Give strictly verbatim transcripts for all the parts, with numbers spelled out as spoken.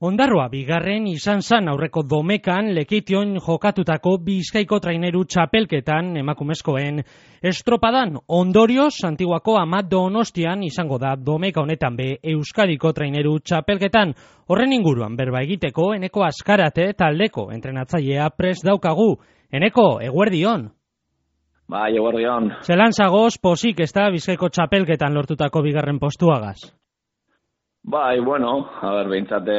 Ondarroa bigarren izan zan aurreko domekan Lekition jokatutako Bizkaiko traineru txapelketan emakumezkoen estropadan. Ondorioz, Antiguako Amat Donostian izango da domeka honetan be Euskadiko traineru txapelketan. Horren inguruan berba egiteko Eneko Azkarate taldeko entrenatzailea prest daukagu. Eneko, eguerdion. Bai, eguerdion. Zelan zagoz pozik ez da Bizkaiko txapelketan lortutako bigarren postuagaz? Bai, bueno, a ber, behintzate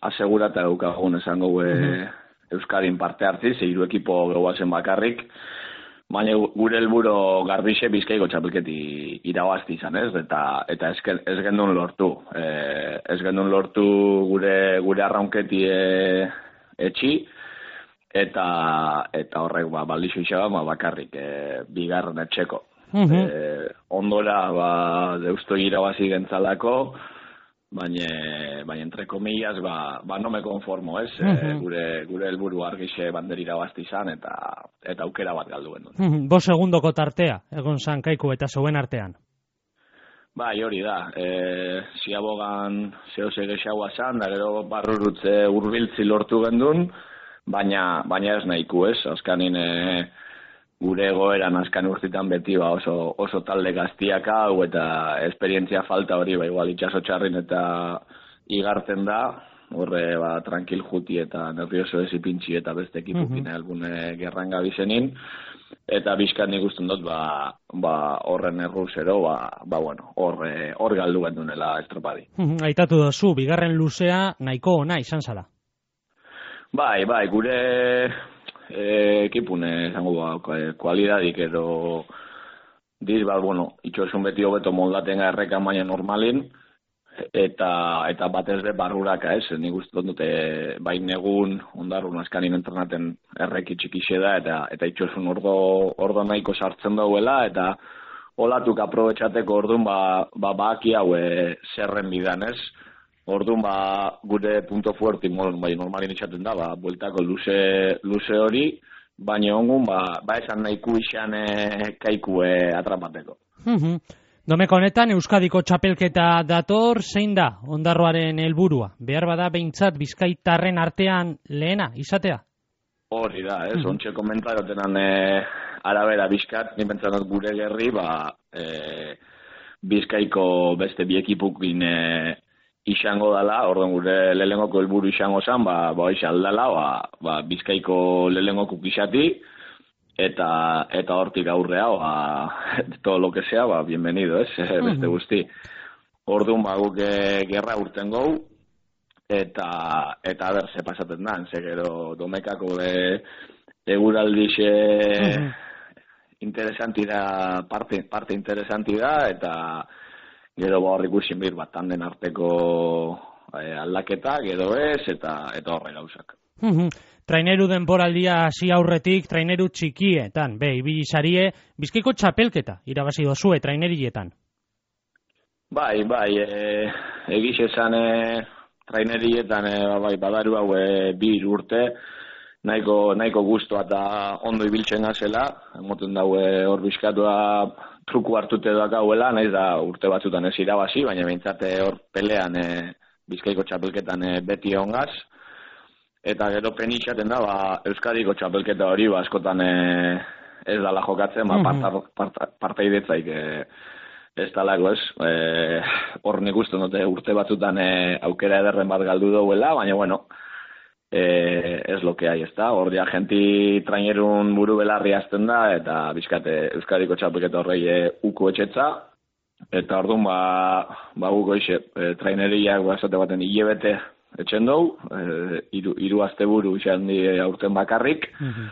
asegurata daukagun esango e, Euskadin parte hartziz, hiru ekipo gehuazen bakarrik, baina gure helburu garbixe Bizkaiko txapelketi irabazti izan ez, eta eta ez, ez gendun lortu. E, ez gendun lortu gure gure arraunketi e, etxi, eta eta horrek ba, baldixo izan ba, bakarrik e, bigarren etxeko. Uh -huh. e, ondora ba, deusto irabazi gentzalako, baina baina entre comillas ba, ba no me conformo, ez? Uh -huh. e, gure gure helburu argixe bander irabazti izan eta eta aukera bat galdu genuen. Uh -huh. Bos segundoko tartea egon zan Kaiku eta zeuen artean. Bai, hori da. Eh, ziabogan zehose gexaua zan, da gero barrurutze hurbiltzi lortu gendun, baina baina ez nahiku, ez? Azkanin e, gure egoeran azkan urtitan beti ba oso, oso talde gaztiak hau eta esperientzia falta hori ba igual itxaso txarrin eta igartzen da, horre ba tranquil juti eta nervioso ezipintxi eta beste ekipukin uh-huh. algune gerran gabizenin, eta bizkat nik usten dut ba, ba horren erruzero, ba, ba bueno, horre hor galdu gendunela estropadi. Uh-huh. Aitatu dozu, bigarren luzea nahiko ona izan zala. Bai, bai, gure E, ekipune zango ba, kualidadik edo diz bat, bueno, itxosun beti hobeto moldaten errekan baina normalin eta eta batez de barruraka, ez? Nik uste dute bain egun ondarrun askanin entrenaten erreki txikixe da eta eta itxosun ordo ordo nahiko sartzen dauela eta olatuk aprobetxateko ordun ba ba baki hau e, zerren bidan, ez? Orduan ba gure punto fuerte bai normalin izaten da, ba bueltako luze luze hori, baina ongun ba ba esan nahiku izan e, Kaiku e, atrapateko. Mhm. Domeko honetan Euskadiko txapelketa dator, zein da Ondarroaren helburua? Behar bada behintzat Bizkaitarren artean lehena izatea? Hori da, ez, ontxe uh-huh. komentarotenan e, arabera Bizkat, ni pentsatzen gure gerri, ba e, Bizkaiko beste bi ekipukin e, izango dala, orduan gure lelengoko helburu izango zen, ba, ba hoiz aldala, ba, ba Bizkaiko lelengokuk izati, eta eta hortik aurrea, ba, todo lo que sea, ba, bienvenido, ez, uh-huh. beste guzti. Orduan, ba, guk gerra urten gau, eta, eta ber, ze pasaten da, ze gero domekako e, eguraldixe uh-huh. interesanti da, parte, parte interesanti da, eta gero ba horrik usin bir bat tanden arteko eh, aldaketak edo ez, eta eta horre gauzak. Uh-huh. Traineru denboraldia hasi aurretik, traineru txikietan, be, ibili sarie, Bizkaiko txapelketa irabazi dozue trainerietan. Bai, bai, e, egiz esan e, trainerietan e, bai, badaru hau e, bi urte, nahiko, nahiko guztua eta ondo ibiltzen gazela, emoten daue hor Bizkatua truku hartute dakauela, nahiz da urte batzutan ez irabazi, baina behintzate hor pelean e, Bizkaiko txapelketan e, beti ongaz. Eta gero penitxaten da, ba, Euskadiko txapelketa hori, ba, askotan e, ez dala jokatzen, ba, parta, parta, partaidetzaik e, ez dalako ez. E, hor nik uste dute urte batzutan e, aukera ederren bat galdu dauela, baina bueno, e, ez lo que hay, ez da. Hor dia genti trainerun buru belarri azten da, eta bizkate Euskadiko txapelketa horrei e, uko etxetza, eta orduan ba, ba guko ixe, e, traineriak basate baten hilebete etxen dugu, e, iru, iru azte buru izan di aurten bakarrik, uh-huh.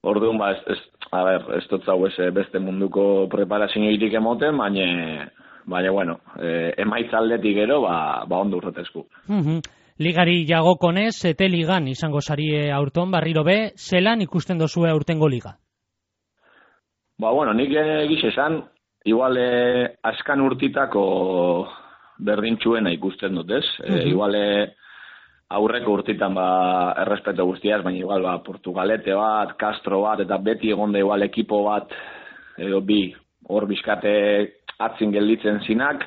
Orduan ba, ez, ez, a ber, ez dut zau ez beste munduko preparazio irik emoten, baina, baina bueno, e, emaitzaldetik gero, ba, ba ondo urretezku. Uh-huh. Ligari jagokonez, ete ligan izango sarie aurton, barriro be, zelan ikusten dozue aurtengo liga? Ba, bueno, nik egiz esan, igual eh, askan urtitako berdintxuena ikusten dut, ez? Uh-huh. E, igual aurreko urtitan ba, errespeto guztiaz, baina igual ba, Portugalete bat, Castro bat, eta beti egonda igual ekipo bat, edo bi, hor bizkate atzin gelditzen zinak,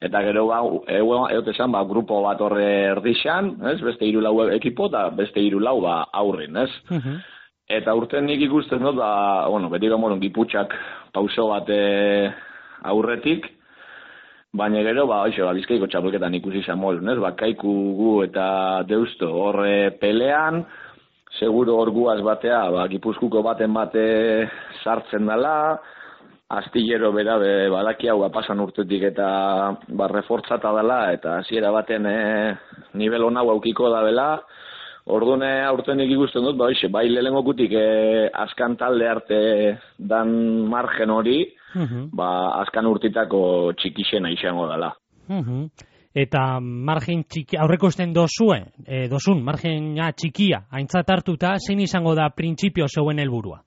eta gero ba, egote esan, ba, grupo bat horre erdixan, ez? Beste hiru lau ekipo, eta beste hiru lau ba, aurrin, ez? Uh-huh. Eta urten nik ikusten dut, ba, bueno, beti gomorun giputxak pauso bat aurretik, baina gero, ba, oixo, ba, Bizkaiko txapelketan ikusi zamolun, ez? Ba, Kaiku gu eta Deusto horre pelean, seguro hor guaz batea, ba, Gipuzkuko baten bate sartzen dela, astillero bera be, badaki hau pasan urtetik eta ba, refortzata dela, eta hasiera baten e, nivel hona aukiko da bela. Ordune aurtenik ikusten dut, ba, oixe, bai lehengokutik e, askan talde arte dan margen hori, uh-huh. ba, askan urtitako txikixena izango dela. Uh-huh. Eta margen txiki, aurreko esten dozue, e, dozun, margena txikia, aintzat hartuta, zein izango da printzipio zeuen helburua?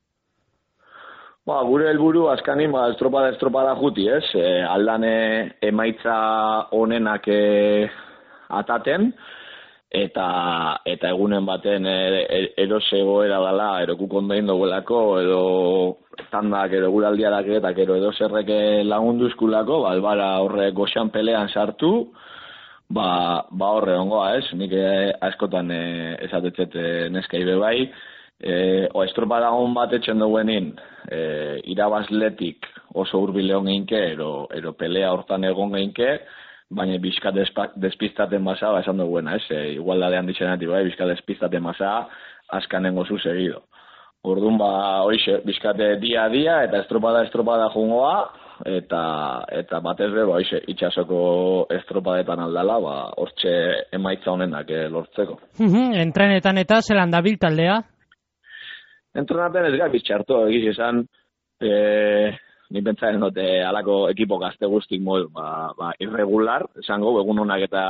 Ba, gure helburu askanin, ba, estropada estropada juti, ez? E, aldane emaitza honenak e, ataten, eta eta egunen baten e, erose goera dela, erokuk ondain doguelako, edo tandak, edo guraldiarak eta edo edo zerreke lagunduzkulako, ba, albara horre goxan pelean sartu, ba, ba horre ongoa, ez? Nik e, askotan e, esatetzet e, neskai bebai, e, o estropada hon bat etxen duguenin, e, irabazletik oso hurbil egon geinke, ero, ero pelea hortan egon geinke, baina bizka despistaten basa, ba, esan duguena, ez? E, igualdadean ditzenetik, bai, bizka despistaten basa, askanengo zu segido. Orduan, ba, hoize, bizkate dia a dia, eta estropada estropada jungoa, eta eta batez be, ba, hoize, itxasoko estropadetan aldala, ba, hortxe emaitza honenak eh, lortzeko. Entrenetan eta zelan dabil taldea? Entrenaten ez gabiz txartu, egiz esan, eh, ni pentsaren dute alako ekipo gazte guztik modu, ba, ba, irregular, esango, egun honak eta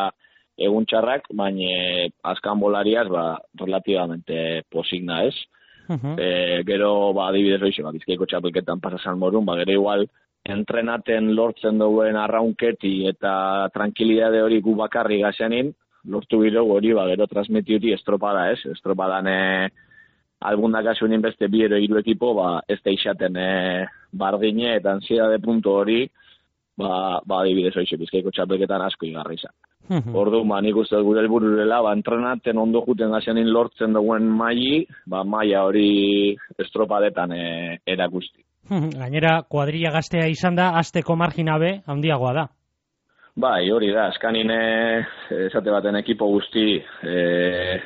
egun txarrak, baina azkan bolariaz, ba, relativamente posigna ez. Uh-huh. E, gero, ba, adibidez hoize, ba, Bizkaiko txapelketan pasasan morun, ba, gero igual, entrenaten lortzen duen arraunketi eta tranquilidade hori gu bakarri gazeanin, lortu biro hori, ba, gero transmitiuti estropada ez, estropadan e, alguna kasuenin beste bi ero hiru ekipo, ba, ez da isaten e, bardine eta ansiedade puntu hori, ba, ba adibidez hoize, Bizkaiko txapelketan asko igarri izan. Uh-huh. Ordu, ba, nik uste gure helburu dela, ba, entrenaten ondo juten gazeanin lortzen duen maili, ba, maila hori estropadetan e, erakusti. Uh-huh. Gainera, kuadrilla gaztea izan da, azteko margina be, handiagoa da. Bai, hori da, eskanine, esate baten ekipo guzti, e,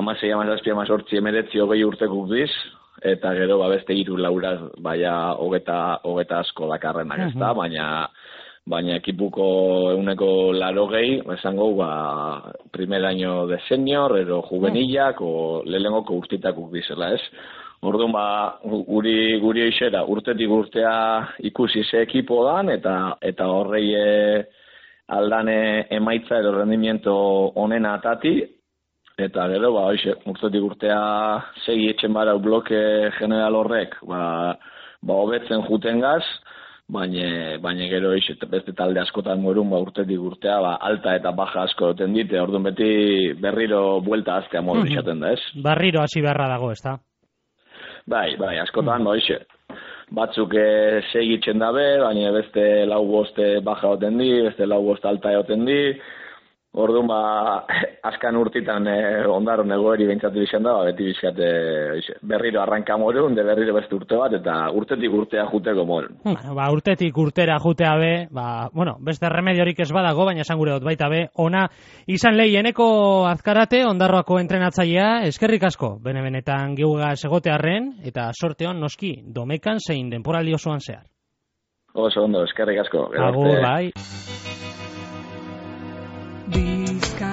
amasei, amazazpi, amazortzi, emeretzi, hogei urtekuk diz, eta gero ba, beste hiru laura, baina hogeta, hogeta asko dakarrenak ez da, uh-huh. baina baina ekipuko euneko laro gehi, esango, ba, primer año de senior, ero juvenilak, uh-huh. o lehenengoko urtitakuk dizela ez. Orduan, ba, guri, guri eixera, urtetik urtea ikusi ze ekipo dan, eta eta horrei e, aldane emaitza edo rendimiento onena atati, eta gero, ba, oixe, urtetik urtea segi etxen barau bloke general horrek, ba, ba hobetzen juten gaz, baina, baina gero oixe, beste talde askotan morun, ba, urtetik urtea, ba, alta eta baja asko duten dite, orduan beti berriro buelta aztea modu izaten da, ez? Barriro hasi beharra dago, ez da? Bai, bai, askotan, mm. oixe, batzuk e, segitzen dabe, baina beste lau boste baja oten di, beste lau boste alta egoten di, orduan, ba, azkan urtitan e, ondaron egoeri behintzatu izan da, ba, beti bizkate oixe, berriro arranka morun, de berriro beste urte bat, eta urtetik urtea juteko morun. Bueno, ba, urtetik urtera jutea be, ba, bueno, beste remediorik ez badago, baina esan gure dut baita be, ona izan lehieneko azkarate, ondarroako entrenatzailea, eskerrik asko, bene-benetan geuga segotearren, eta sorteon noski, domekan zein denporaldi osoan zehar. Oso ondo, eskerrik asko. Agur, bai. Bizka